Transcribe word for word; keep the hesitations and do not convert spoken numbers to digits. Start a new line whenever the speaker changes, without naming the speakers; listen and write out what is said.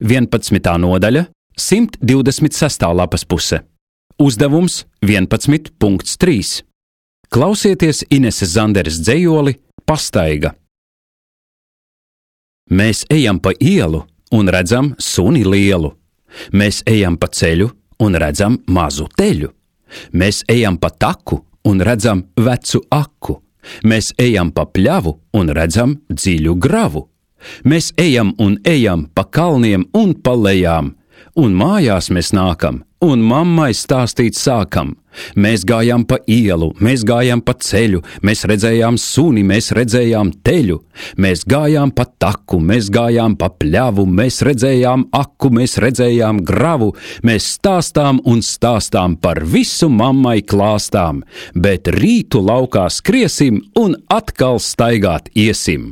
vienpadsmitā nodaļa, simt divdesmit sestā lapas puse. Uzdevums vienpadsmit punkts trīs. Klausieties Ineses Zanderes dzejoli Pastaiga. Mēs ejam pa ielu un redzam suni lielu. Mēs ejam pa ceļu un redzam mazu teļu. Mēs ejam pa taku un redzam vecu aku. Mēs ejam pa pļavu un redzam dziļu gravu. Mēs ejam un ejam pa kalniem un pa lejām. Un mājās mēs nākam, un mammai stāstīt sākam. Mēs gājām pa ielu, mēs gājām pa ceļu, mēs redzējām suni, mēs redzējām teļu. Mēs gājām pa taku, mēs gājām pa pļavu, mēs redzējām aku, mēs redzējām gravu. Mēs stāstām un stāstām par visu mammai klāstām, bet rītu laukā skriesim un atkal staigāt iesim.